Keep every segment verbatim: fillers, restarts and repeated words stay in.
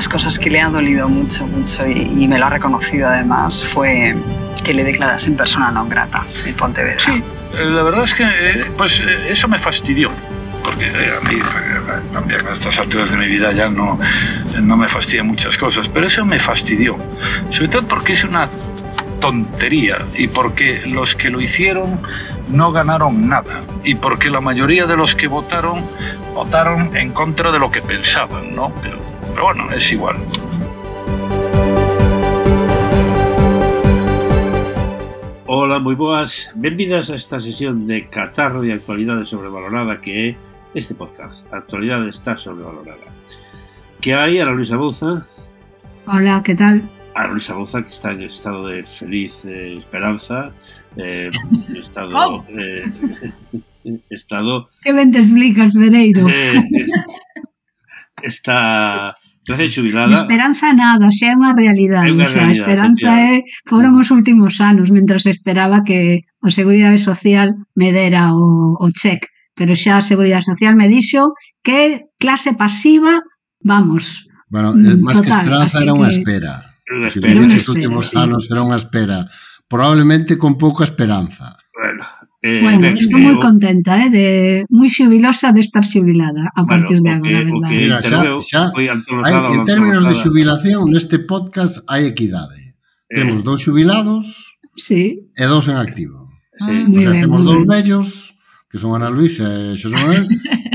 las cosas que le ha dolido mucho, mucho y, y me lo ha reconocido además fue que le declarasen persona non grata en Pontevedra. Sí, la verdad es que pues eso me fastidió. Porque a mí también a estas alturas de mi vida ya no, no me fastidian muchas cosas, pero eso me fastidió, sobre todo porque es una tontería y porque los que lo hicieron no ganaron nada y porque la mayoría de los que votaron votaron en contra de lo que pensaban, ¿no? Pero, pero bueno, es igual. Ola, moi boas, benvidas a esta sesión de Catarro de Actualidade Sobrevalorada que é este podcast. A actualidade está sobrevalorada. Que hai Ana Luisa Bouza? Hola, que tal? Ana Luisa Bouza, que está en estado de feliz eh, esperanza, eh, estado... Oh. Eh, estado... Que ben te explicas, Pereiro? Eh, está... Recién xubilada. De esperanza nada, xa é unha realidade. É unha O sea, a esperanza é, foron os últimos anos, mentras esperaba que a Seguridade Social me dera o, o cheque. Pero xa a Seguridade Social me dixo que clase pasiva, vamos, bueno, máis que esperanza era unha que... espera. Unha espera. espera. Estes últimos sí. anos era unha espera. Probablemente con pouca esperanza. Bueno, eh, bueno ben, estou eh, moi o... contenta, eh, de moi xubilosa de estar xubilada a bueno, partir de agora, que, verdade. Mira, xa, xa, hai, en términos de xubilación, neste podcast hai equidade. Eh. Temos dous xubilados sí. e dous en activo. Sí. O sea, bien, temos dous vellos, que son Ana Luisa e Xosé Manuel,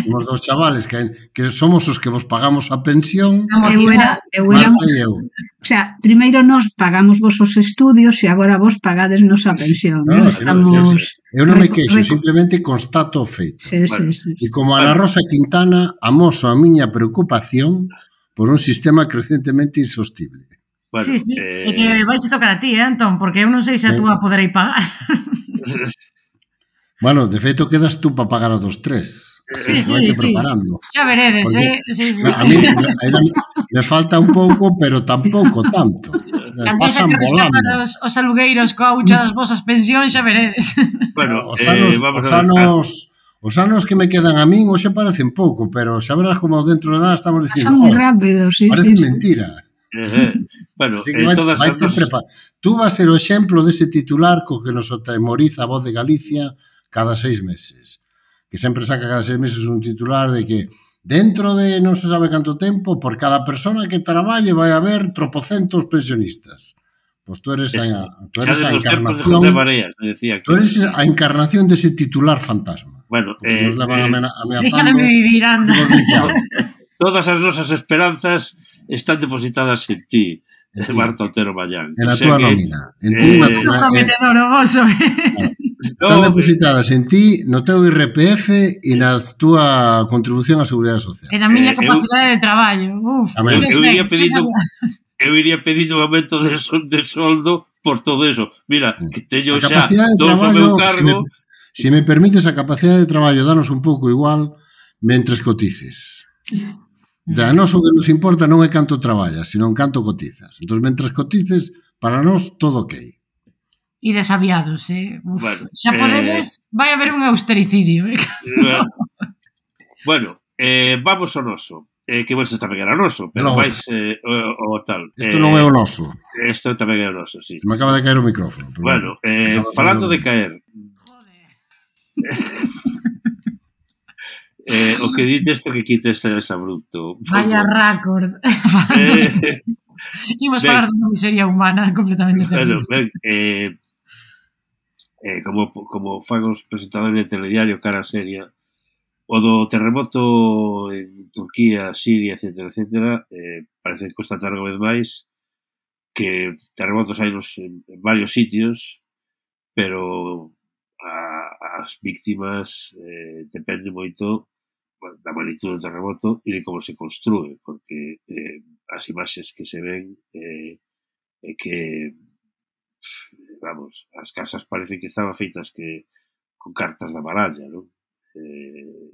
temos dous chavales que, que somos os que vos pagamos a pensión, eu era, eu era, Marta e eu. O sea, primeiro nos pagamos vos os estudios e agora vos pagades nos a pensión. No, ¿no? no, Estamos... no, eu non me queixo, simplemente constato o feito. Sí, bueno, sí, sí. E como Ana Rosa Quintana, amoso a miña preocupación por un sistema crecientemente insostible. Bueno, sí, sí, eh... e que vai che tocar a ti, eh, Antón, porque eu non sei se a túa poderei pagar. Bueno, de feito quedas tú para pagar a dos tres. Sí, sí, sí. Preparando. Xa veredes, porque, eh? Sí, sí. A mí me, me falta un pouco, pero tampouco tanto. Pasan volando. Os, os alugueiros coa hucha das vosas pensións, xa veredes. Bueno, os anos, eh, os, anos, os anos que me quedan a min hoxe parecen pouco, pero xa verás como dentro de nada estamos dicindo, oh, moi rápido, sí, parece sí, mentira. Uh-huh. Bueno, eh, vai, todas vai nos... Tú vas a ser o exemplo dese titular co que nos atemoriza a Voz de Galicia cada seis meses, que sempre saca cada seis meses un titular de que dentro de non se sabe canto tempo, por cada persona que traballe vai haber tropocentos pensionistas. Pois tú eres a, tú eres a encarnación de Mareas, decía que... tú eres a encarnación dese titular fantasma. Bueno, eh, nos levan eh, a ameazando. Déxame vivir, anda. Todas as nosas esperanzas están depositadas en ti, sí. Marta Otero Mallán. En a túa nómina. En ti, eh, na, na, eh, eh, Están depositadas en ti, no teu I R P F e na túa contribución á Seguridade Social. En a miña eh, capacidade eu, de traballo. Uf, eu, eu iría pedindo eu iría pedindo un aumento de, sol, de soldo por todo eso. Mira, que teño xa todo o meu cargo. Se me, se me permites, a capacidade de traballo danos un pouco igual mentres cotices. Da nos o que nos importa non é canto traballas, sino en canto cotizas. Entón, mentres cotices, para nós todo ok. E desaviados, eh? Uf, bueno, xa podedes, eh... vai haber un austericidio, eh? Bueno, bueno eh, vamos ao noso. Eh, que bueno, isto tamén era noso, pero no, máis eh, o, o tal. Isto eh, non é o noso. Isto tamén é o noso, sí. Se me acaba de caer o micrófono. Pero bueno, eh, falando de caer... Joder. eh, o que dite isto que quite este desabrupto. Vaya récord. Eh... Imos falar dunha miseria humana completamente terrible. Bueno, ben, eh... Eh, como, como fan os presentadores de telediario cara seria, o do terremoto en Turquía, Siria, etcétera, etcétera, eh, parece constatar unha vez máis que terremotos hai nos, en, en varios sitios, pero a, as víctimas eh, depende moito bueno, da magnitude do terremoto e de como se construe, porque eh, as imaxes que se ven eh, é que vamos, as casas parecen que estaban feitas que con cartas da baralla, non? Eh,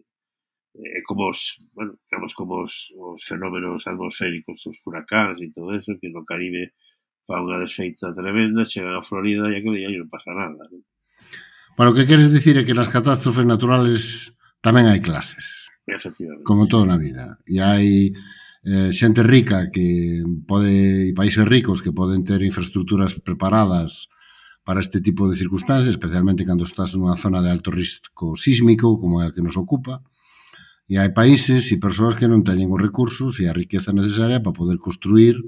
é como os, bueno, digamos como os, os fenómenos atmosféricos, os furacáns e todo eso, que no Caribe fa unha desfeita tremenda, chegan a Florida e aquele día non pasa nada, non? Bueno, o que queres dicir é que nas catástrofes naturales tamén hai clases. Efectivamente. Como todo na vida. E hai eh, xente rica que pode, e países ricos que poden ter infraestructuras preparadas para este tipo de circunstancias, especialmente cando estás nunha zona de alto risco sísmico, como é a que nos ocupa. E hai países e persoas que non teñen os recursos e a riqueza necesaria para poder construir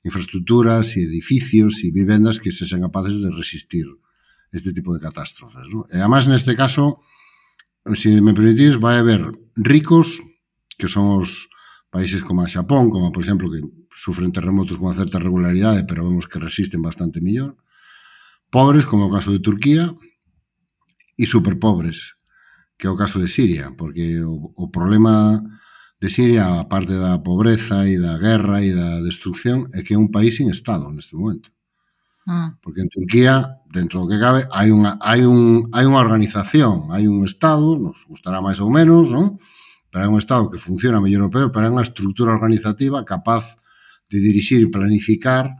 infraestructuras e edificios e vivendas que se sean capaces de resistir este tipo de catástrofes, ¿no? E además, neste caso, se me permitís, vai haber ricos, que son os países como a Xapón, como por exemplo, que sufren terremotos con certa regularidade, pero vemos que resisten bastante mellor, pobres, como o caso de Turquía, e superpobres, que é o caso de Siria, porque o, o problema de Siria, a parte da pobreza e da guerra e da destrucción, é que é un país sin Estado neste momento. Mm. Porque en Turquía, dentro do que cabe, hai unha, hai un, hai unha organización, hai un Estado, nos gustará máis ou menos, non? Pero hai un Estado que funciona mellor ou peor, pero hai unha estructura organizativa capaz de dirixir e planificar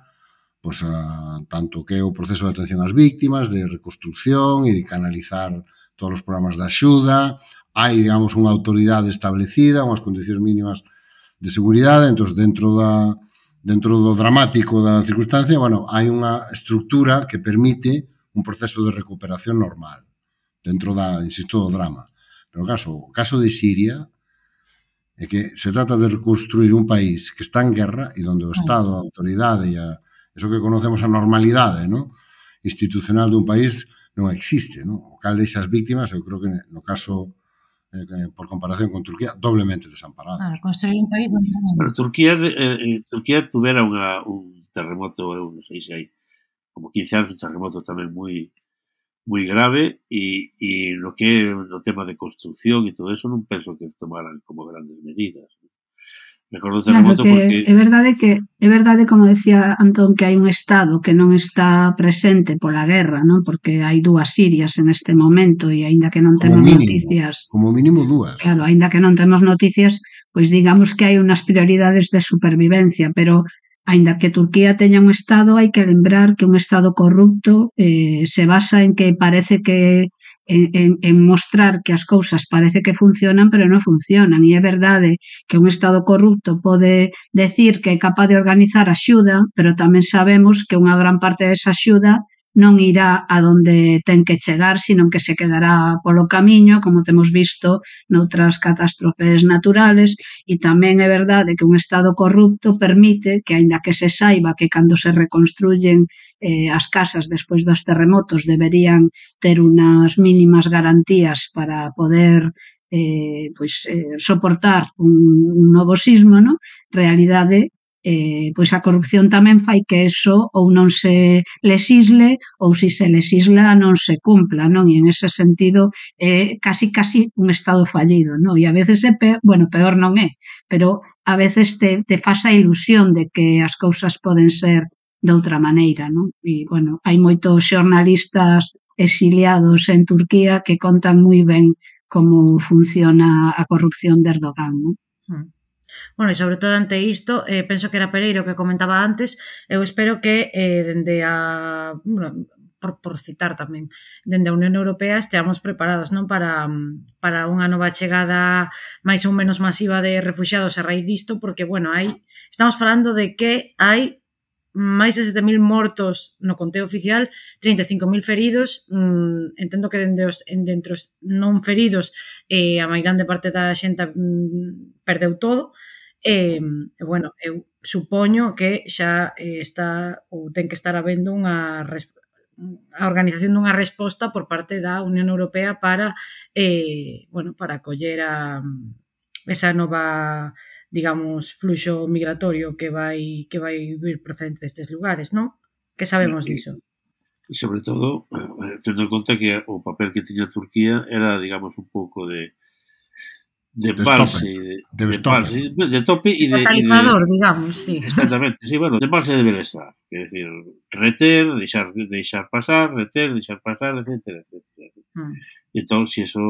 pues, a, tanto que é o proceso de atención ás víctimas, de reconstrucción e de canalizar todos os programas de axuda. Hai, digamos, unha autoridade establecida, unhas condicións mínimas de seguridade, entón, dentro da dentro do dramático da circunstancia, bueno, hai unha estructura que permite un proceso de recuperación normal, dentro da, insisto, do drama. Pero o caso, o caso de Siria é que se trata de reconstruir un país que está en guerra e onde o Estado, a autoridade e a, eso que conocemos a normalidade, ¿no?, institucional dun país non existe, ¿no? O cal deixa as víctimas, eu creo que no caso, eh, por comparación con Turquía, doblemente desamparado. Claro, construir un país... Pero Turquía, eh, Turquía tuvera unha, un terremoto, eu non sei se hai como quince anos, un terremoto tamén moi moi grave, e, e no que no tema de construcción e todo eso non penso que tomaran como grandes medidas. Recordo o terremoto claro, porque... É verdade que, é verdade, como decía Antón, que hai un Estado que non está presente pola guerra, non? Porque hai dúas Sirias en este momento e aínda que non temos mínimo, noticias... Como mínimo dúas. Claro, aínda que non temos noticias, pois digamos que hai unhas prioridades de supervivencia, pero aínda que Turquía teña un Estado, hai que lembrar que un Estado corrupto eh, se basa en que parece que En, en, en mostrar que as cousas parece que funcionan, pero non funcionan. E é verdade que un Estado corrupto pode decir que é capaz de organizar axuda, pero tamén sabemos que unha gran parte desa axuda non irá a donde ten que chegar, sino que se quedará polo camiño, como temos visto noutras catástrofes naturales, e tamén é verdade que un Estado corrupto permite que, aínda que se saiba que cando se reconstruyen eh, as casas despois dos terremotos deberían ter unas mínimas garantías para poder eh, pois, eh, soportar un, un novo sismo, ¿no? Realidade, eh, pois a corrupción tamén fai que eso ou non se lesisle ou se se lesisla non se cumpla, non? E en ese sentido é eh, casi casi un Estado fallido, non? E a veces é peor, bueno, peor non é, pero a veces te, te faz a ilusión de que as cousas poden ser de outra maneira, non? E, bueno, hai moitos xornalistas exiliados en Turquía que contan moi ben como funciona a corrupción de Erdogan, non? Mm. Bueno, e sobre todo ante isto, eh, penso que era Pereiro que comentaba antes, eu espero que eh, dende a... Bueno, por, por citar tamén, dende a Unión Europea esteamos preparados, non, para, para unha nova chegada máis ou menos masiva de refuxiados a raíz disto, porque, bueno, hai, estamos falando de que hai máis de sete mil mortos no conteo oficial, trinta e cinco mil feridos, mm, entendo que dende os, dentro os non feridos eh, a máis grande parte da xente mm, perdeu todo, e, eh, bueno, eu supoño que xa eh, está ou ten que estar habendo unha a organización dunha resposta por parte da Unión Europea para eh, bueno, para acoller a esa nova, digamos, fluxo migratorio que vai que vai vir procedente destes lugares, non? Que sabemos e, diso? E sobre todo, tendo en conta que o papel que tiña Turquía era, digamos, un pouco de de embalse, de, de, de, embalse, de tope e de... Catalizador, de, digamos, sí. Exactamente, sí, bueno, de embalse de bienestar, é dicir, reter, deixar, deixar pasar, reter, deixar pasar, etcétera, etcétera. Mm. Entón, se eso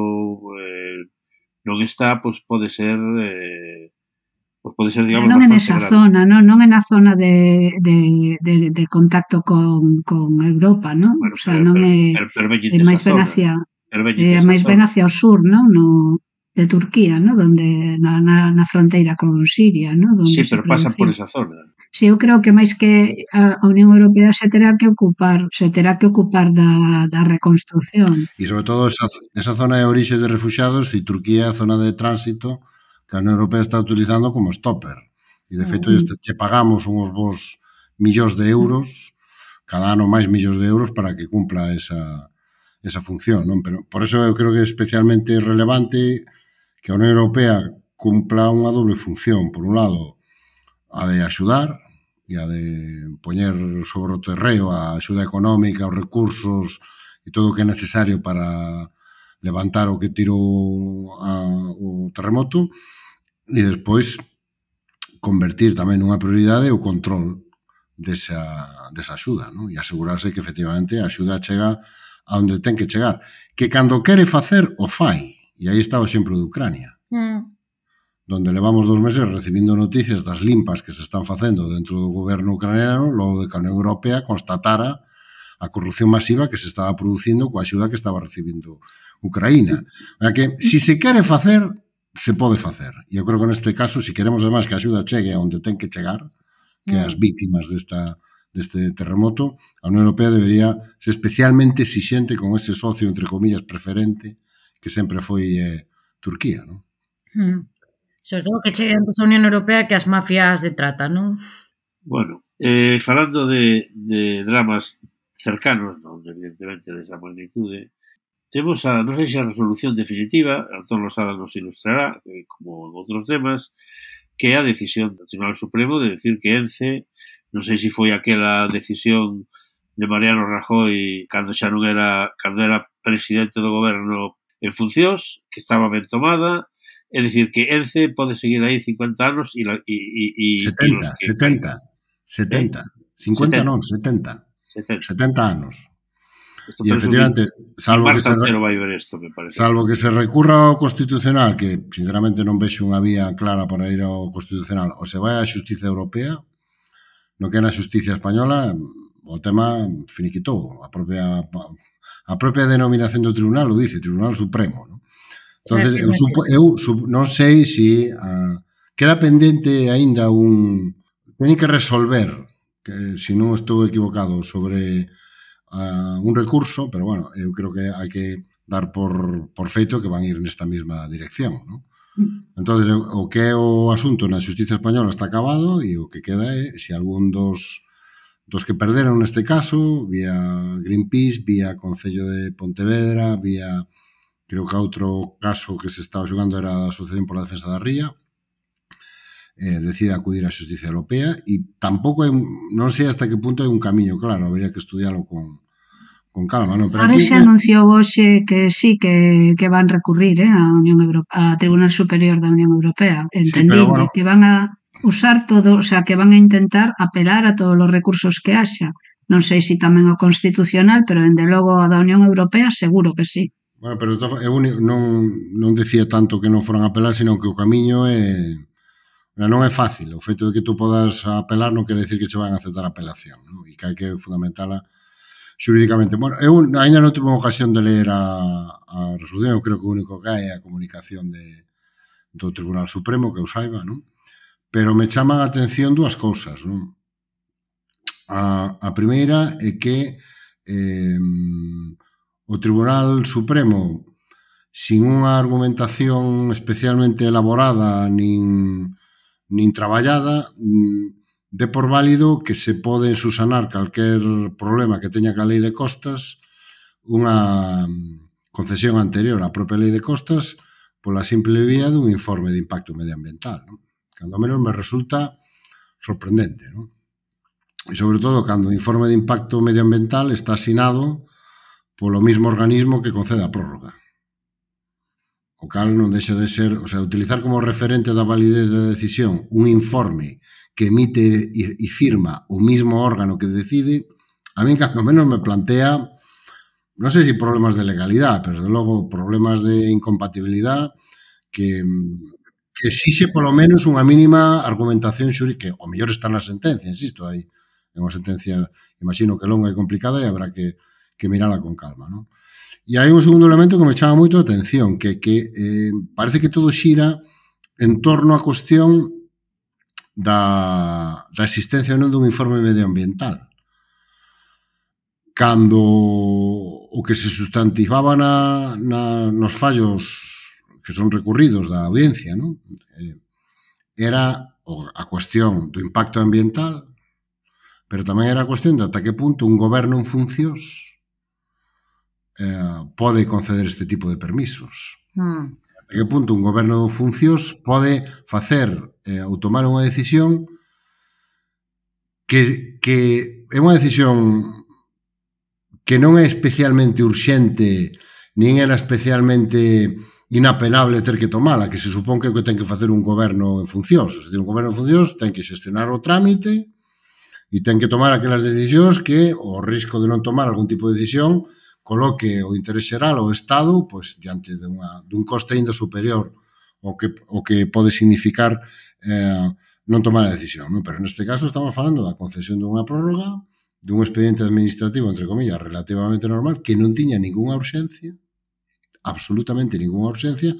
eh, non está, pois pues pode ser... Eh, pues pode ser, digamos, non bastante en esa grave. zona, non, non en a zona de, de, de, de contacto con, con Europa, non? Bueno, o sea, non é, per, per, per é máis ben hacia, é máis ben hacia o sur, non? No, de Turquía, ¿no? Donde na, na, na fronteira con Siria, ¿no? Donde Sí, se pero pasan por producía. esa zona. Sí, eu creo que máis que a Unión Europea se terá que ocupar, se terá que ocupar da, da reconstrucción. E sobre todo esa, esa zona de orixe de refugiados e Turquía é a zona de tránsito que a Unión Europea está utilizando como stopper. E de feito Mm. que pagamos uns bons millóns de euros, cada ano máis millóns de euros para que cumpla esa, esa función, non? Pero por eso eu creo que é especialmente relevante que a Unión Europea cumpla unha doble función. Por un lado, a de axudar e a de poñer sobre o terreo a axuda económica, os recursos e todo o que é necesario para levantar o que tirou a, o terremoto e despois convertir tamén nunha prioridade o control desa, desa axuda, non? E asegurarse que efectivamente a axuda chega a onde ten que chegar. Que cando quere facer, o fai. E aí está o exemplo de Ucrania. Mm. Donde levamos dos meses recibindo noticias das limpas que se están facendo dentro do goberno ucraniano, logo de que a Unión Europea constatara a corrupción masiva que se estaba producindo coa axuda que estaba recibindo Ucraína. O sea que, si se quere facer, se pode facer. E eu creo que neste caso, se queremos además que a axuda chegue a onde ten que chegar, que as víctimas desta, deste terremoto, a Unión Europea debería ser especialmente exixente con ese socio, entre comillas, preferente, que sempre foi eh, Turquía, non? Mm. Sobre todo que chegue antes a Unión Europea que as mafias de trata, non? Bueno, eh, falando de, de dramas cercanos, non, evidentemente, desa magnitude, temos a, non sei se a resolución definitiva, Antón Losada nos ilustrará, eh, como en outros temas, que é a decisión do Tribunal Supremo de decir que ENCE, non sei se foi aquela decisión de Mariano Rajoy cando xa non era, cando era presidente do goberno en funcións, que estaba ben tomada, é dicir, que ENCE pode seguir aí cincuenta anos e... e, e setenta, que setenta, setenta. Eh? cincuenta setenta. non, setenta. setenta. setenta anos. Esto E efectivamente, salvo que, se, vai ver esto, me parece. salvo que se recurra ao Constitucional, que sinceramente non vexo unha vía clara para ir ao Constitucional, ou se vai á Xustiza Europea, no que é na Xustiza Española, o tema finiquitou. A propia, a propia denominación do Tribunal o dice, Tribunal Supremo, non? Entonces, eu, supo, eu sup, non sei se uh, queda pendente aínda un... Teñen que resolver, que se non estou equivocado, sobre uh, un recurso, pero bueno, eu creo que hai que dar por, por feito que van ir nesta mesma dirección, non? Entonces, o que é o asunto na Xustiza Española está acabado e o que queda é se algún dos, dos que perderon neste caso, vía Greenpeace, vía Concello de Pontevedra, vía... Creo que outro caso que se estaba xogando era a Asociación por a Defensa da Ría, eh, decide acudir á Xustiza Europea e tampouco hai, non sei hasta que punto hai un camiño claro, habría que estudiarlo con, con calma, non? Pero Ahora aquí, se anunciou hoxe que sí, que, que van recurrir eh, a Unión Europea, a Tribunal Superior da Unión Europea, entendí, sí, bueno, que van a usar todo, o sea, que van a intentar apelar a todos os recursos que haxa. Non sei se tamén o Constitucional, pero dende logo a da Unión Europea seguro que sí. Bueno, pero eu non, non decía tanto que non foran a apelar, sino que o camiño é... Non é fácil. O feito de que tú podas apelar non quere decir que se van a aceptar a apelación, non? E que hai que fundamentala xurídicamente. Bueno, eu ainda non tive ocasión de ler a, a resolución, eu creo que o único que hai é a comunicación de, do Tribunal Supremo, que eu saiba, non? Pero me chaman a atención dúas cousas, non? A, a primeira é que eh, o Tribunal Supremo, sin unha argumentación especialmente elaborada nin, nin traballada, dé por válido que se pode susanar calquer problema que teña ca lei de costas unha concesión anterior á propia lei de costas pola simple vía dun informe de impacto medioambiental, non? Cando menos me resulta sorprendente, non? E sobre todo cando o informe de impacto medioambiental está asinado polo mismo organismo que concede a prórroga. O cal non deixa de ser, o sea, utilizar como referente da validez da decisión un informe que emite e, e firma o mismo órgano que decide, a mí cando menos me plantea, non sei se problemas de legalidade, pero de logo problemas de incompatibilidade que, que exixe polo menos unha mínima argumentación xurídica, que o mellor está na sentencia, insisto, hai unha sentencia, imagino que longa e complicada e habrá que que mirala con calma, non? E hai un segundo elemento que me chama moito a atención, que, que eh, parece que todo xira en torno á cuestión da, da existencia ou non dun informe medioambiental. Cando o que se sustantivaba na, na, nos fallos que son recurridos da audiencia, non? Eh, era a cuestión do impacto ambiental, pero tamén era a cuestión de ata que punto un goberno en funcións eh, pode conceder este tipo de permisos. Mm. A que punto un goberno en funcións pode facer eh, ou tomar unha decisión que, que é unha decisión que non é especialmente urxente nin era especialmente inapelable ter que tomala, que se supón que é o que ten que facer un goberno en funcións. Se ten un goberno en funcións ten que xestionar o trámite e ten que tomar aquelas decisións que o risco de non tomar algún tipo de decisión coloque o interés xeral ao Estado pois, diante de unha, dun coste ainda superior ao que, ao que pode significar eh, non tomar a decisión. Non? Pero neste caso estamos falando da concesión dunha prórroga, dun expediente administrativo, entre comillas, relativamente normal, que non tiña ninguna urxencia, absolutamente ninguna urxencia,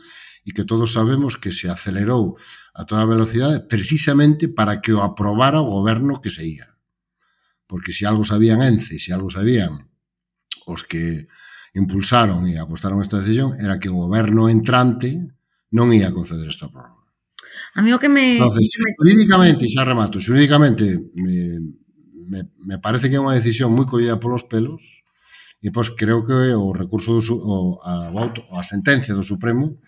e que todos sabemos que se acelerou a toda velocidade precisamente para que o aprobara o goberno que se ia. Porque se algo sabían Ence, se algo sabían os que impulsaron e apostaron esta decisión, era que o goberno entrante non ia conceder esta prórroga. A mí o que me... Entonces, xurídicamente, xa remato, xurídicamente me, me, me parece que é unha decisión moi collida polos pelos e pois creo que o recurso do, o, a, a sentencia do Supremo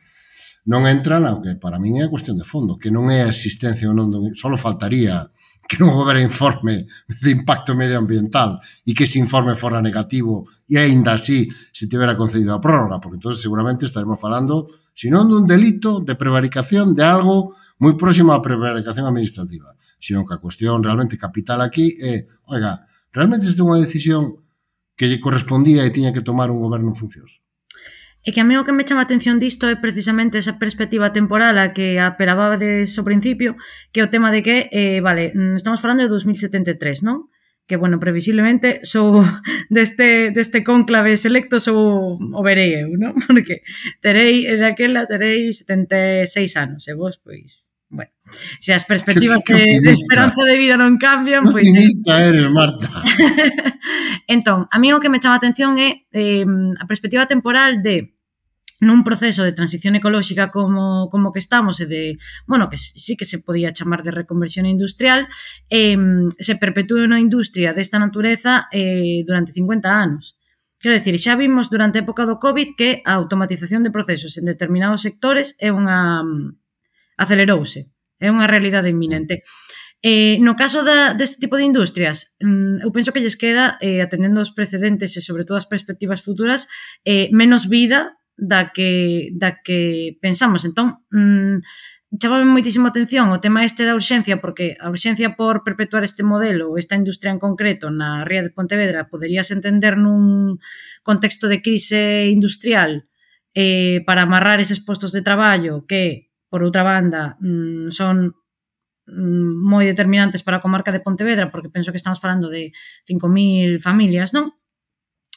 non entra na que para min é a cuestión de fondo, que non é a existencia ou non, só faltaría que non houbera informe de impacto medioambiental e que ese informe fora negativo e aínda así se tivera concedido a prórroga, porque entonces seguramente estaremos falando, se non dun delito de prevaricación de algo moi próximo á prevaricación administrativa, sino que a cuestión realmente capital aquí é, oiga, realmente esta é unha decisión que lle correspondía e tiña que tomar un goberno en funcións. É que a mí o que me chama a atención disto é precisamente esa perspectiva temporal a que apelabades ao principio, que é o tema de que, eh, vale, estamos falando de dos mil setenta e tres, non? Que, bueno, previsiblemente sou deste, deste cónclave selecto sou o verei eu, non? Porque terei, daquela terei setenta e seis anos, e vos, pois, bueno, se as perspectivas de, de esperanza de vida non cambian, pois... Que optimista eres, Marta. Entón, a mí o que me chama a atención é eh, a perspectiva temporal de nun proceso de transición ecolóxica como, como que estamos e de, bueno, que sí que se podía chamar de reconversión industrial, eh, se perpetúe unha industria desta natureza eh, durante cincuenta anos. Quero dicir, xa vimos durante a época do COVID que a automatización de procesos en determinados sectores é unha... acelerouse, é unha realidade inminente. Eh, no caso da, deste tipo de industrias, eu penso que lles queda, eh, atendendo aos precedentes e sobre todo as perspectivas futuras, eh, menos vida da que, da que pensamos. Entón, mmm, chamame moitísimo atención o tema este da urxencia, porque a urxencia por perpetuar este modelo ou esta industria en concreto na ría de Pontevedra poderíase entender nun contexto de crise industrial eh, para amarrar eses postos de traballo que, por outra banda, mmm, son moi determinantes para a comarca de Pontevedra, porque penso que estamos falando de cinco mil familias, non?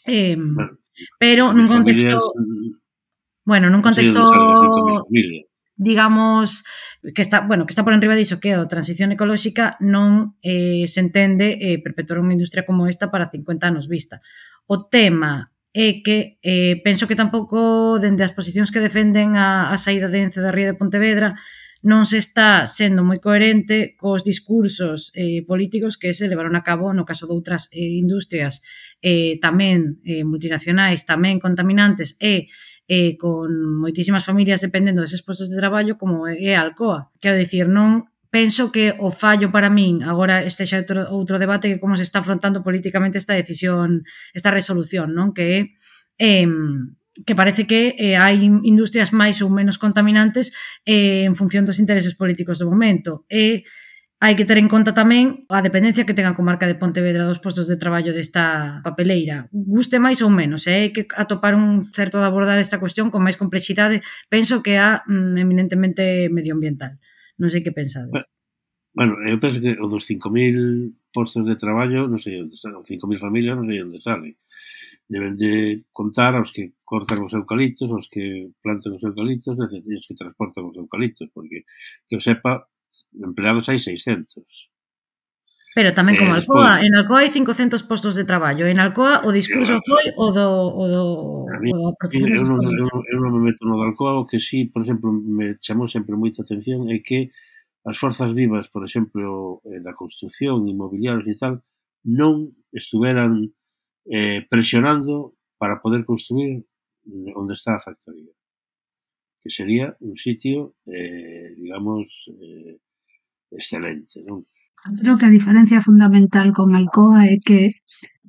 Eh, bueno, pero nun contexto... Familias, bueno, nun contexto... digamos, que está, bueno, que está por enriba diso, que a transición ecolóxica non eh, se entende eh, perpetuar unha industria como esta para cincuenta anos vista. O tema é que eh, penso que tampouco, dende as posicións que defenden a, a saída de Ence da ría de Pontevedra, non se está sendo moi coherente cos discursos eh, políticos que se levaron a cabo no caso de outras eh, industrias eh, tamén eh, multinacionais, tamén contaminantes e eh, con moitísimas familias dependendo deses postos de traballo como é a Alcoa. Quero dicir, non penso que o fallo para min, agora este xa outro, outro debate que como se está afrontando políticamente esta decisión, esta resolución, non? Que é eh, que parece que eh, hai industrias máis ou menos contaminantes eh, en función dos intereses políticos do momento. E hai que ter en conta tamén a dependencia que ten a comarca de Pontevedra dos postos de traballo desta papeleira. Guste máis ou menos, e hai que atopar un certo de abordar esta cuestión con máis complexidade, penso que a mm, eminentemente medioambiental. Non sei que pensades. Bueno, eu penso que o dos cinco mil postos de traballo non sei onde salen, cinco mil familias non sei onde salen. deben de contar aos que cortan os eucaliptos, aos que plantan os eucaliptos e os que transportan os eucaliptos, porque, que eu sepa, empleados hai seiscentos. Pero tamén como Eh, Alcoa, despois- en Alcoa hai cincocentos postos de traballo. En Alcoa o discurso foi o do o do A mí, o da protección eu, dos non, postos. eu, non- eu non me meto no de Alcoa, o que sí, por exemplo, me chamou sempre moita atención é que as forzas vivas, por exemplo, eh, da construcción, inmobiliarios e tal, non estuveran eh, presionando para poder construir onde está a factoría, que sería un sitio, eh, digamos, eh, excelente, non? Creo que a diferencia fundamental con Alcoa é que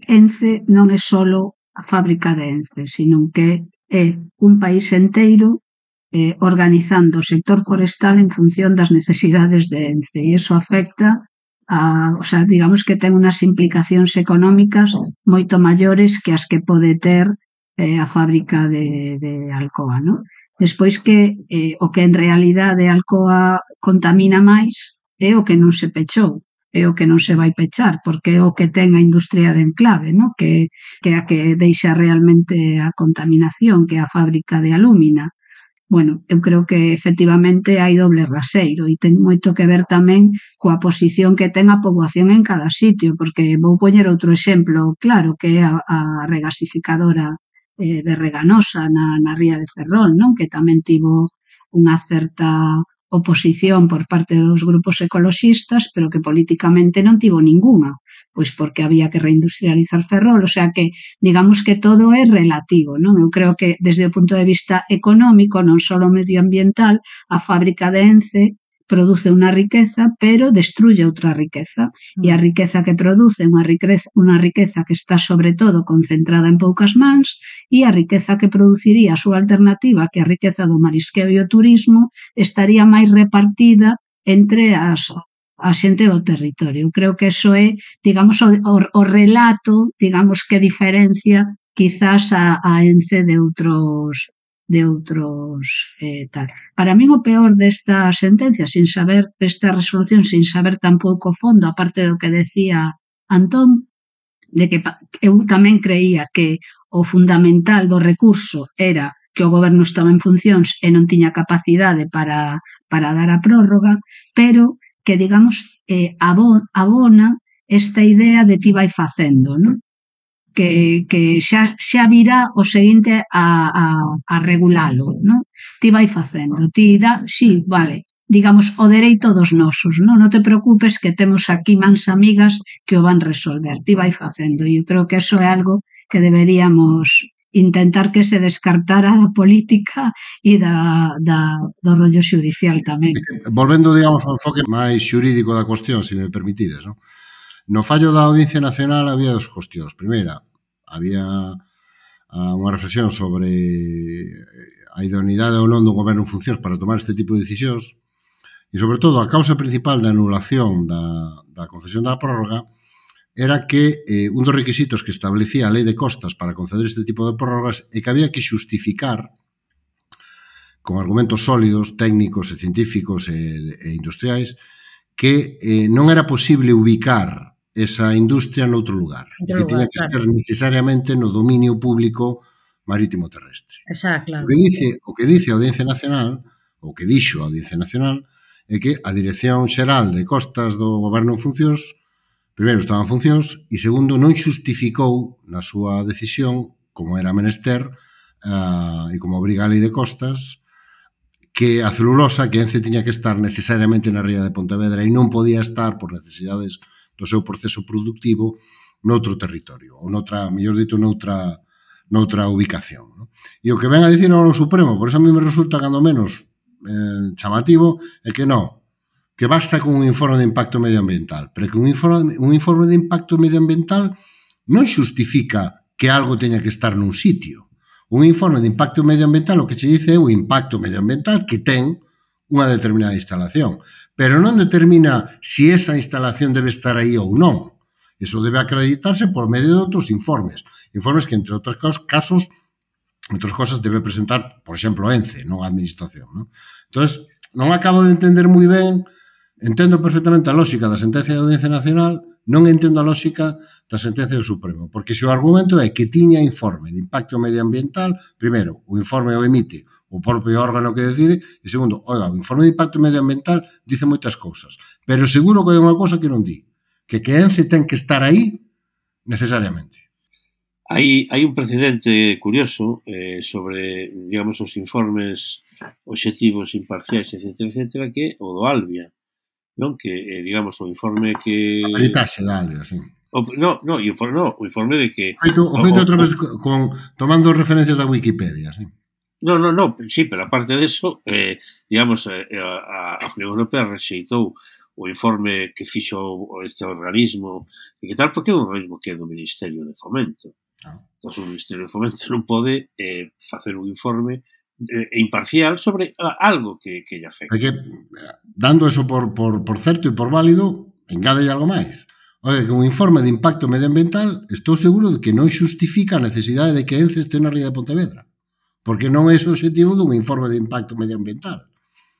Ence non é solo a fábrica de Ence, sino que é un país enteiro eh, organizando o sector forestal en función das necesidades de Ence e iso afecta a, o sea, digamos que ten unhas implicacións económicas moito maiores que as que pode ter eh, a fábrica de, de Alcoa, non? Despois que eh, o que en realidade Alcoa contamina máis é o que non se pechou, é o que non se vai pechar, porque é o que ten a industria de enclave, ¿no? que, que a que deixa realmente a contaminación, que é a fábrica de alúmina. Bueno, eu creo que efectivamente hai doble raseiro e ten moito que ver tamén coa posición que ten a poboación en cada sitio, porque vou poñer outro exemplo claro, que é a, a regasificadora eh, de Reganosa na, na ría de Ferrol, non? Que tamén tivo unha certa oposición por parte dos grupos ecoloxistas, pero que políticamente non tivo ningunha, pois porque había que reindustrializar Ferrol, o sea que digamos que todo é relativo, non? Eu creo que desde o punto de vista económico, non só medioambiental, a fábrica de Ence produce unha riqueza, pero destruye outra riqueza, e a riqueza que produce unha riqueza, unha riqueza que está sobre todo concentrada en poucas mans, e a riqueza que produciría a súa alternativa, que a riqueza do marisqueo e o turismo, estaría máis repartida entre as a xente do territorio. Eu creo que eso é, digamos, o, o, o relato, digamos, que diferencia quizás a, a Ence de outros de outros eh, tal. Para min o peor desta sentencia, sin saber, desta resolución, sin saber tampouco fondo, aparte do que decía Antón, de que eu tamén creía que o fundamental do recurso era que o goberno estaba en funcións e non tiña capacidade para, para dar a prórroga, pero que, digamos, eh, abona esta idea de ti vai facendo, non? Que, que xa, xa virá o seguinte a, a, a regulalo, non? Ti vai facendo, ti dá, sí, vale, digamos, o dereito dos nosos, non? Non te preocupes que temos aquí mans amigas que o van resolver, ti vai facendo, e eu creo que eso é algo que deberíamos intentar que se descartara a política e da, da, do rollo xudicial tamén. Volvendo, digamos, ao enfoque máis xurídico da cuestión, se me permitides, non? No fallo da Audiencia Nacional había dos cuestións. Primeira, había unha reflexión sobre a idoneidade ou non dun goberno en funcións para tomar este tipo de decisións e, sobre todo, a causa principal da anulación da, da concesión da prórroga era que eh, un dos requisitos que establecía a Lei de Costas para conceder este tipo de prórrogas é que había que xustificar con argumentos sólidos, técnicos e científicos e, e industriais que eh, non era posible ubicar esa industria noutro lugar, Outro que tiña lugar, que claro. ser necesariamente no dominio público marítimo terrestre. Exacto, claro. O que dice, o que dice a Audiencia Nacional, o que dixo a Audiencia Nacional, é que a Dirección Xeral de Costas do Goberno en funcións, primeiro, estaba en funcións, e segundo, non xustificou na súa decisión, como era menester, uh, e como obriga a Lei de Costas, que a celulosa, que Ence tiña que estar necesariamente na ría de Pontevedra e non podía estar por necesidades do seu proceso productivo noutro territorio, ou noutra, mellor dito, noutra, noutra ubicación. No? E o que ven a dicir ao Supremo, por eso a mí me resulta cando menos eh, chamativo, é que non, que basta con un informe de impacto medioambiental, pero que un informe, un informe de impacto medioambiental non xustifica que algo teña que estar nun sitio. Un informe de impacto medioambiental o que se dice é o impacto medioambiental que ten unha determinada instalación, pero non determina se esa instalación debe estar aí ou non. Eso debe acreditarse por medio de outros informes. Informes que, entre outros casos, outras cosas debe presentar, por exemplo, Ence, non a Administración. Non? Entón, non acabo de entender moi ben, entendo perfectamente a lógica da sentencia da Audiencia Nacional, non entendo a lógica da sentencia do Supremo, porque se o argumento é que tiña informe de impacto medioambiental, primeiro, o informe o emite o propio órgano que decide, e segundo, oiga, o informe de impacto medioambiental dice moitas cousas, pero seguro que hai unha cousa que non di, que que ENCE ten que estar aí necesariamente. Hai, hai un precedente curioso eh, sobre, digamos, os informes obxectivos, imparciais, etcétera, etcétera, que o do Albia, non? Que, eh, digamos, o informe que... A peritaxe da Albia, sí. O, no, no, o informe, no, o informe de que... Feito, o feito outra vez con, tomando referencias da Wikipedia, sí. No, no, no, sí, pero aparte de eso, eh, digamos, eh, a, a Unión Europea rexeitou o informe que fixo este organismo e que tal, porque é un organismo que é do Ministerio de Fomento. Ah. Entón, o Ministerio de Fomento non pode eh, facer un informe eh, imparcial sobre uh, algo que, que lle afecta. É que, dando eso por, por, por certo e por válido, engade algo máis. Oye, que un informe de impacto medioambiental, estou seguro de que non xustifica a necesidade de que ENCE este na ría de Pontevedra. Porque non é o objetivo dun informe de impacto medioambiental.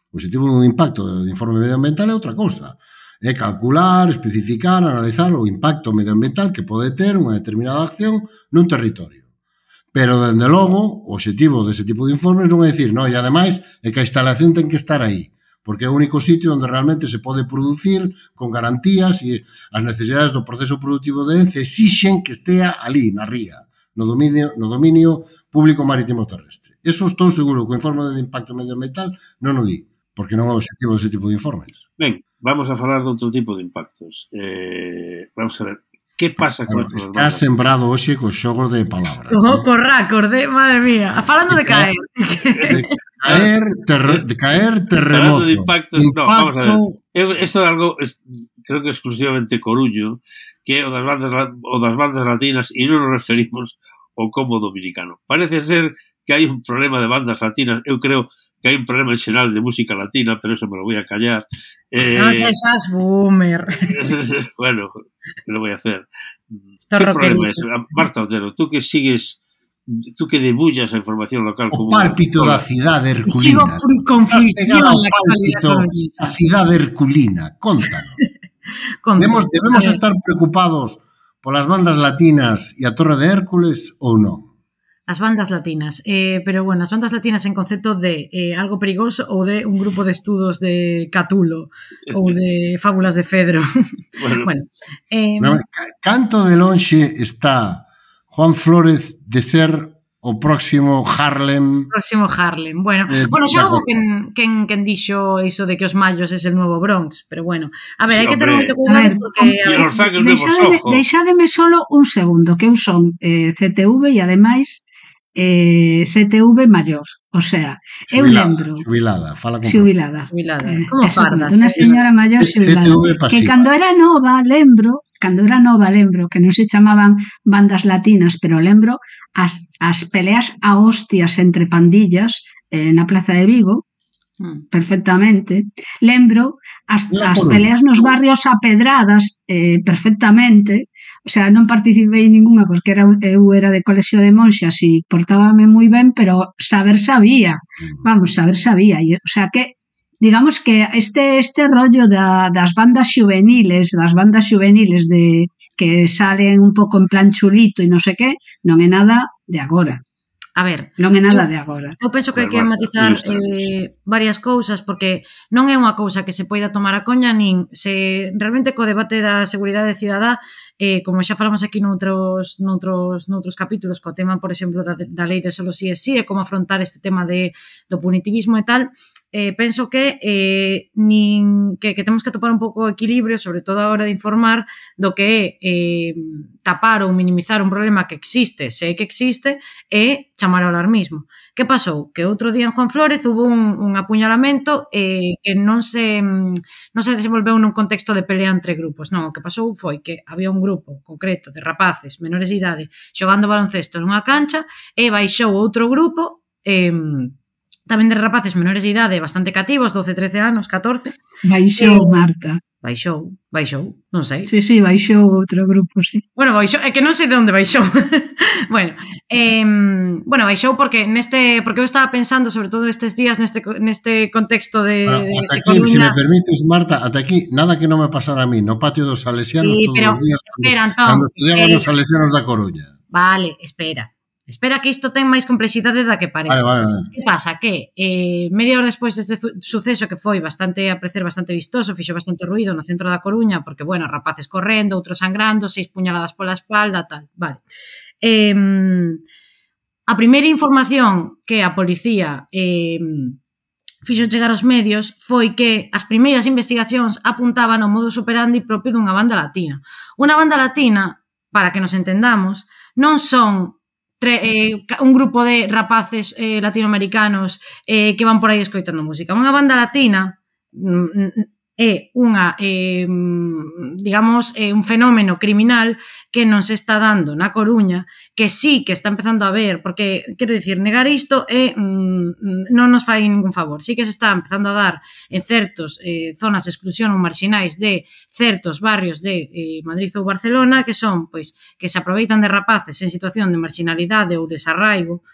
O objetivo dun impacto de informe medioambiental é outra cousa. É calcular, especificar, analizar o impacto medioambiental que pode ter unha determinada acción nun territorio. Pero, dende logo, o objetivo dese tipo de informes non é dicir, non, e ademais, é que a instalación ten que estar aí, porque é o único sitio onde realmente se pode producir con garantías e as necesidades do proceso productivo de ENCE exixen que estea ali, na ría, no dominio, no dominio público marítimo terrestre. Eso estou seguro que o informe de impacto medioambiental non o di, porque non é o objetivo dese tipo de informes. Ben, vamos a falar de outro tipo de impactos. Eh, vamos a ver, que pasa con bueno, está sembrado hoxe cos xogos de palabras. Oh, ¿no? Corracos, de, madre mía. Falando de caer. De caer, ter, de caer terremoto. Falando de impactos, impacto... no, vamos a ver. Esto é algo, es, creo que exclusivamente Coruño, que é o das bandas, o das bandas latinas, e non nos referimos ao combo dominicano. Parece ser que hai un problema de bandas latinas. Eu creo que hai un problema en xeral de música latina, pero eso me lo voy a callar. Eh, no seas boomer. Bueno, ¿qué lo voy a hacer? Esto ¿Qué problema es? Marta Otero, tú que sigues, tú que debullas a información local... O como pálpito da cidade herculina. Sigo con fricción la pálpito da cidade herculina. Contanos. debemos, debemos estar preocupados polas bandas latinas e a Torre de Hércules ou non? As bandas latinas, eh, pero bueno, as bandas latinas en concepto de eh, algo perigoso ou de un grupo de estudos de Catulo ou de fábulas de Fedro. Bueno, bueno eh, no, canto de lonxe está Juan Flórez de ser o próximo Harlem. Próximo Harlem. Bueno, eh, bueno xa houve quen, quen, quen dixo iso de que os mayos é el nuevo Bronx, pero bueno, a ver, sí, hai que ter moito cuidado porque... Deixademe, deixademe solo un segundo, que eu son eh, C T V e ademais eh, C T V maior, o sea, eu lembro xubilada, fala con xubilada, xubilada. Eh, como fardas? Unha señora maior xubilada, que cando era nova, lembro, cando era nova, lembro que non se chamaban bandas latinas, pero lembro as, as peleas a hostias entre pandillas eh, na Plaza de Vigo, mm. perfectamente. Lembro as, as peleas nos barrios a pedradas eh, perfectamente. O sea, non participei en ninguna porque era, eu era de colexio de monxas e portábame moi ben, pero saber sabía. Vamos, saber sabía. E, o sea, que digamos que este este rollo da, das bandas juveniles, das bandas juveniles de que salen un pouco en plan chulito e non sei que, non é nada de agora. A ver, non é nada de agora. Eu penso que hai que matizar eh, varias cousas, porque non é unha cousa que se poida tomar a coña, nin se realmente co debate da seguridade cidadá, eh, como xa falamos aquí noutros, noutros, noutros capítulos, co tema, por exemplo, da, da lei de solo si é si, e como afrontar este tema de, do punitivismo e tal, eh, penso que, eh, nin, que que temos que topar un pouco o equilibrio, sobre todo a hora de informar do que é eh, tapar ou minimizar un problema que existe, se é que existe, e chamar ao alarmismo. Que pasou? Que outro día en Juan Flórez hubo un, un apuñalamento eh, que non se non se desenvolveu nun contexto de pelea entre grupos. Non, o que pasou foi que había un grupo concreto de rapaces menores de idade xogando baloncesto nunha cancha e baixou outro grupo eh, tamén de rapaces menores de idade bastante cativos, doce, trece anos, catorce. Baixou, eh, Marta. baixou, baixou, non sei. Sí, sí, baixou outro grupo, sí. Bueno, baixou, é que non sei de onde baixou. bueno, eh, bueno, baixou porque neste, porque eu estaba pensando, sobre todo estes días, neste, neste contexto de, Bueno, de ata Se aquí, Coruña. si me permites, Marta, ata aquí, nada que non me pasara a mí, no patio dos salesianos Sí, todos pero, os días, espera, cando, cando Antón, estudiamos espera. nos salesianos da Coruña. Vale, espera. Espera que isto ten máis complexidade da que parece. Vale, vale, vale. Que pasa? Que eh, media hora despois deste suceso que foi bastante, a parecer, bastante vistoso, fixo bastante ruído no centro da Coruña, porque, bueno, rapaces correndo, outros sangrando, seis puñaladas pola espalda, tal, vale. Eh, a primeira información que a policía eh, fixo chegar aos medios foi que as primeiras investigacións apuntaban ao modus operandi propio dunha banda latina. Unha banda latina, para que nos entendamos, non son tre, eh, un grupo de rapaces eh, latinoamericanos eh, que van por aí escoitando música. Unha banda latina mm, é unha, eh, digamos, eh, un fenómeno criminal que non se está dando na Coruña, que sí que está empezando a ver, porque, quero dicir, negar isto é, mm, non nos fai ningún favor. Sí que se está empezando a dar en certos eh, zonas de exclusión ou marxinais de certos barrios de eh, Madrid ou Barcelona, que son, pois, que se aproveitan de rapaces en situación de marginalidade ou desarraigo,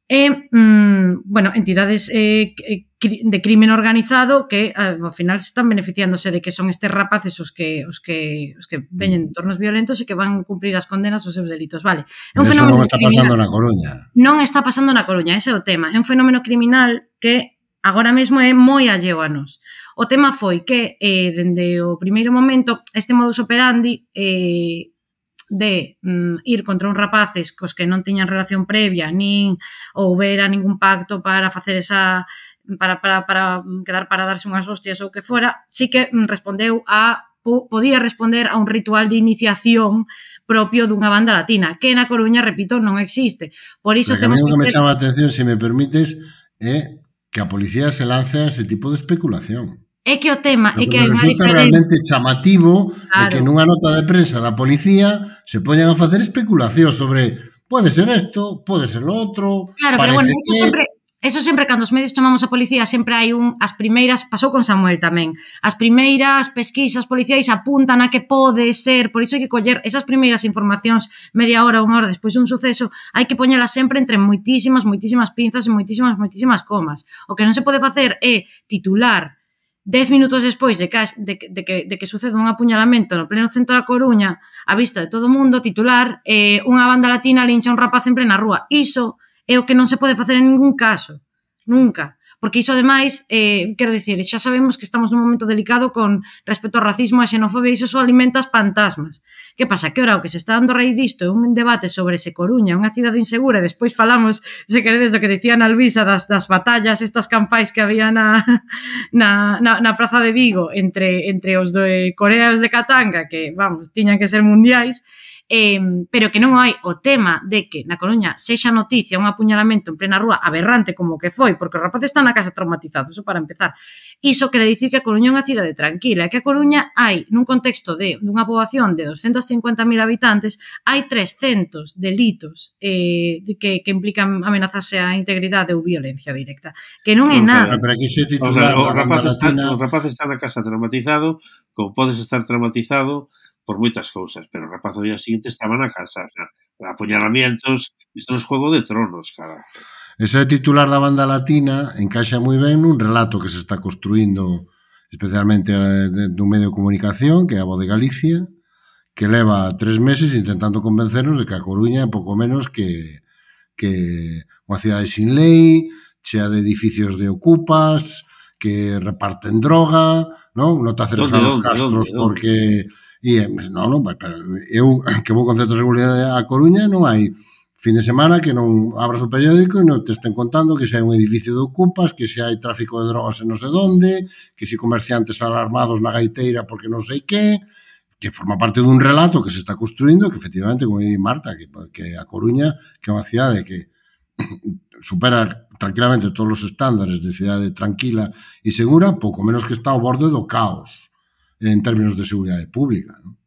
e, mmm, bueno, entidades eh, de crimen organizado que ao final se están beneficiándose de que son estes rapaces os que os que os que veñen de entornos violentos e que van cumplir as condenas aos seus delitos, vale. É un Eso fenómeno non está criminal. pasando na Coruña. Non está pasando na Coruña, ese é o tema. É un fenómeno criminal que agora mesmo é moi alleo a nos. O tema foi que, eh, dende o primeiro momento, este modus operandi eh, de mm, ir contra uns rapaces cos que non tiñan relación previa, nin houbera ningún pacto para facer esa para, para, para quedar para darse unhas hostias ou que fora, sí que respondeu a podía responder a un ritual de iniciación propio dunha banda latina, que na Coruña, repito, non existe. Por iso Pero que a mí temos o que me ter... chama a atención, se me permites, é que a policía se lance a ese tipo de especulación. É que o tema é Lo que que hai me unha resulta diferencia. realmente chamativo Claro. é que nunha nota de prensa da policía se poñan a facer especulación sobre pode ser isto, pode ser lo outro, Claro, pero bueno, eso que... sempre eso sempre cando os medios chamamos a policía sempre hai un as primeiras, pasou con Samuel tamén. As primeiras pesquisas policiais apuntan a que pode ser, por iso hai que coller esas primeiras informacións media hora, unha hora despois dun suceso, hai que poñelas sempre entre moitísimas, moitísimas pinzas e moitísimas, moitísimas comas. O que non se pode facer é titular dez minutos despois de que, de, de, que, de que sucede un apuñalamento no pleno centro da Coruña, a vista de todo o mundo, titular eh, unha banda latina lincha un rapaz en plena rúa. Iso é o que non se pode facer en ningún caso. Nunca. Porque iso, ademais, eh, quero dicir, xa sabemos que estamos nun momento delicado con respecto ao racismo e a xenofobia, e iso só alimenta as fantasmas. Que pasa? Que ora o que se está dando a raíz disto é un debate sobre se Coruña é unha cidade insegura, e despois falamos, se queredes, do que dicía na Alvisa das, das batallas, estas campais que había na, na, na, na Praza de Vigo entre, entre os de Corea e os de Katanga, que, vamos, tiñan que ser mundiais, Eh, pero que non hai o tema de que na Coruña sexa noticia un apuñalamento en plena rúa aberrante como que foi, porque os rapaces están na casa traumatizados, eso para empezar. Iso quere dicir que a Coruña é unha cidade tranquila, e que a Coruña hai, nun contexto de dunha poboación de doscientos cincuenta mil habitantes, hai trescentos delitos eh, de que, que implican amenazarse a integridade ou violencia directa, que non é nada. Pero aquí se O titular sea, o da rapaz banda está, latina... o rapaz está na casa traumatizado, como podes estar traumatizado por moitas cousas, pero o rapaz ao día seguinte estaba na casa, o sea, apuñalamientos, isto é Juego de Tronos, cara. Ese titular da banda latina encaixa moi ben nun relato que se está construindo especialmente dun medio de comunicación, que é a Voz de Galicia, que leva tres meses intentando convencernos de que a Coruña é pouco menos que, que unha cidade sin lei, chea de edificios de ocupas, que reparten droga, non? Non te acercas a los castros porque... E, non, non, pero eu que vou con certa regularidade a Coruña non hai fin de semana que non abras o periódico e non te estén contando que se hai un edificio de ocupas, que se hai tráfico de drogas en non sei onde, que se comerciantes alarmados na gaiteira porque non sei que, que forma parte dun relato que se está construindo, que efectivamente, como di Marta, que, que a Coruña, que é unha cidade que supera tranquilamente todos os estándares de cidade tranquila e segura, pouco menos que está ao borde do caos en términos de seguridade pública, non?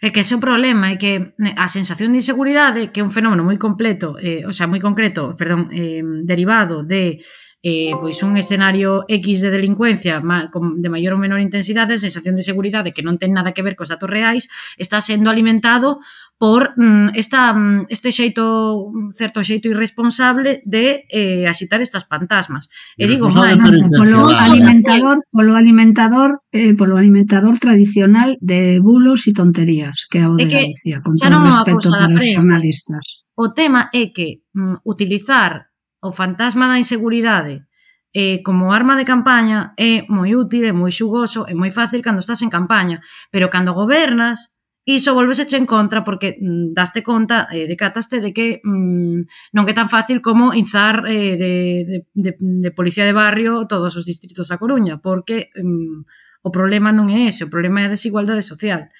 É que ese é o problema, é que a sensación de inseguridade, que é un fenómeno moi completo, eh, o sea, moi concreto, perdón, eh, derivado de eh, pois un escenario X de delincuencia de maior ou menor intensidade, sensación de seguridade que non ten nada que ver cos datos reais, está sendo alimentado por mm, esta, este xeito, certo xeito irresponsable de eh, axitar estas fantasmas. E digo, máis, polo alimentador, polo alimentador, eh, polo alimentador tradicional de bulos e tonterías, que é o de Galicia, con todo o respeto para os xornalistas. O tema é que mm, utilizar o fantasma da inseguridade eh, como arma de campaña é moi útil, é moi xugoso, é moi fácil cando estás en campaña, pero cando gobernas, iso volveseche en contra porque mm, daste conta, eh, decataste de que mm, non é tan fácil como inzar eh, de, de, de, de policía de barrio todos os distritos da Coruña, porque mm, o problema non é ese, o problema é a desigualdade social,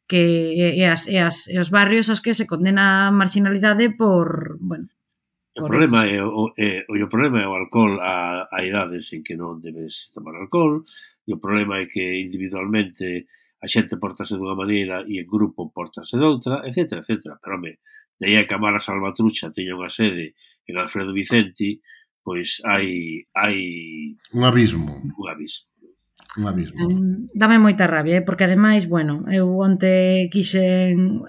que é, as, é, as, é os barrios aos que se condena a marginalidade por, bueno, O problema é o, é, o problema é o alcohol a, a idades en que non debes tomar alcohol, e o problema é que individualmente a xente portase dunha maneira e en grupo portase doutra, etcétera, etcétera. Pero, home, de aí a que a Mara Salvatrucha teña unha sede en Alfredo Vicenti, pois hai hai un abismo. Un abismo. Un abismo. Um, dame moita rabia, eh? Porque ademais, bueno, eu onte quixen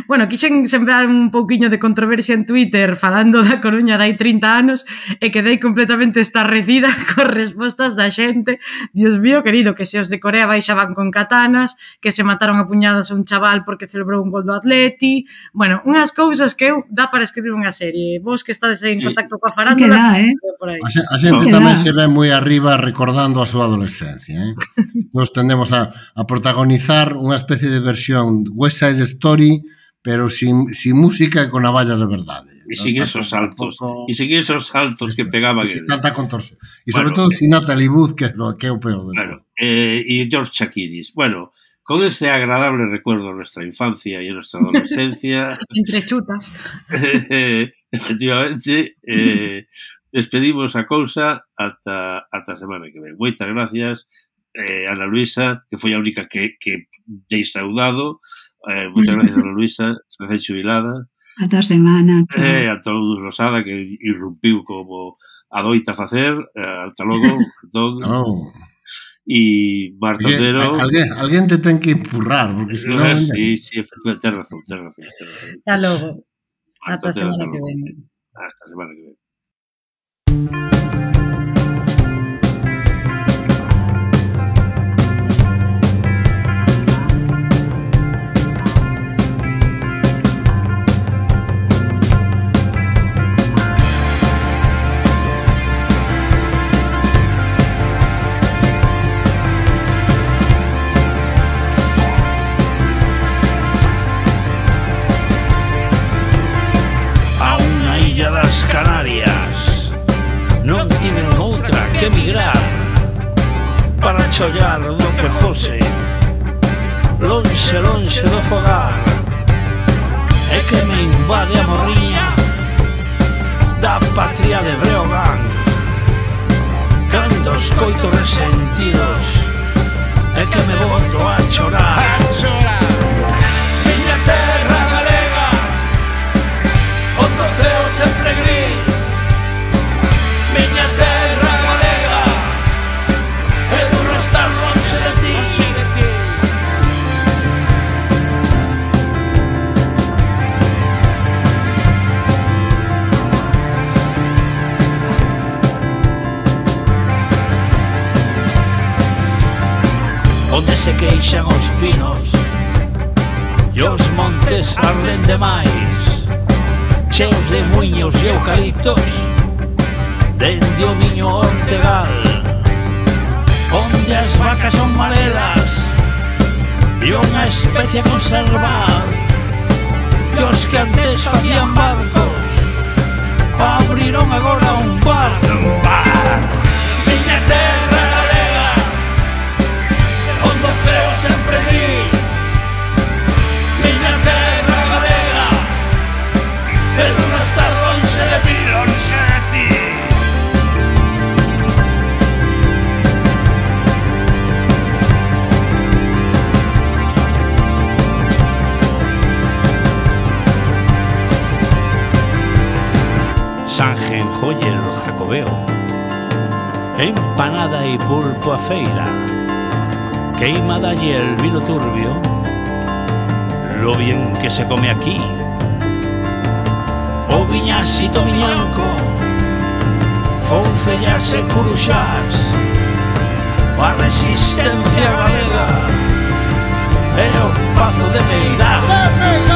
bueno, quixen sembrar un pouquiño de controversia en Twitter falando da Coruña dai trinta anos e quedei completamente estarrecida con respostas da xente. Dios mío querido, que se os de Corea baixaban con katanas, que se mataron a puñados a un chaval porque celebrou un gol do Atleti, bueno, unhas cousas que eu dá para escribir unha serie. Vos que estades en contacto coa farándula, sí, por aí. A, xe, a xente no, tamén se ve moi arriba recordando a súa adolescencia, eh? Nos tendemos a, a protagonizar unha especie de versión West Side Story, pero sin, sin música e con a valla de verdade. E sin esos saltos, e sin esos saltos que pegaban eles. Tanta contorsión. E sobre bueno, todo sin Natalie Wood, que é o que é o peor de claro, todo. Eh, e George Chakiris. Bueno, con este agradable recuerdo de nuestra infancia e nuestra adolescencia... Entre chutas. eh, efectivamente, eh, despedimos a cousa ata, ata a semana que ven. Moitas gracias, eh, Ana Luisa, que foi a única que, que dei saudado. Eh, moitas gracias, Ana Luisa, recén xubilada. Ata a semana. Eh, a todo Rosada, que irrumpiu como adoita facer. Eh, ata logo. Entón, ata logo. E Marta Otero... Alguén, alguén te ten que empurrar, porque se non... Sí, sí, efectivamente, ten razón, ten razón. Ata logo. Ata a semana que ven. Hasta a semana que ven. Canarias non tiven outra que emigrar para chollar do que fose lonxe, lonxe do fogar, e que me invade a morriña da patria de Breogán cando escoito resentidos e que me boto a chorar, a chorar. Miña terra galega onde o ceo sempre gris, miña terra galega é duro estar lonxe de ti, de ti. Onde se queixan os pinos e os montes arden demais, cheos de muiños e eucaliptos dende o miño Ortegal, onde as vacas son marelas e unha especie a conservar, e os que antes facían barcos abriron agora un bar, un bar. Miña terra galega onde o ceo sempre gris, miña terra galega é duro estar lonxe de ti, lonxe de ti. Sangen Joyer Jacobeo empanada e pulpo a feira, queima dalle el vino turbio, lo bien que se come aquí. O viñasito miñanco, foncellas e curuxás, a resistencia galega e o pazo de Meirás.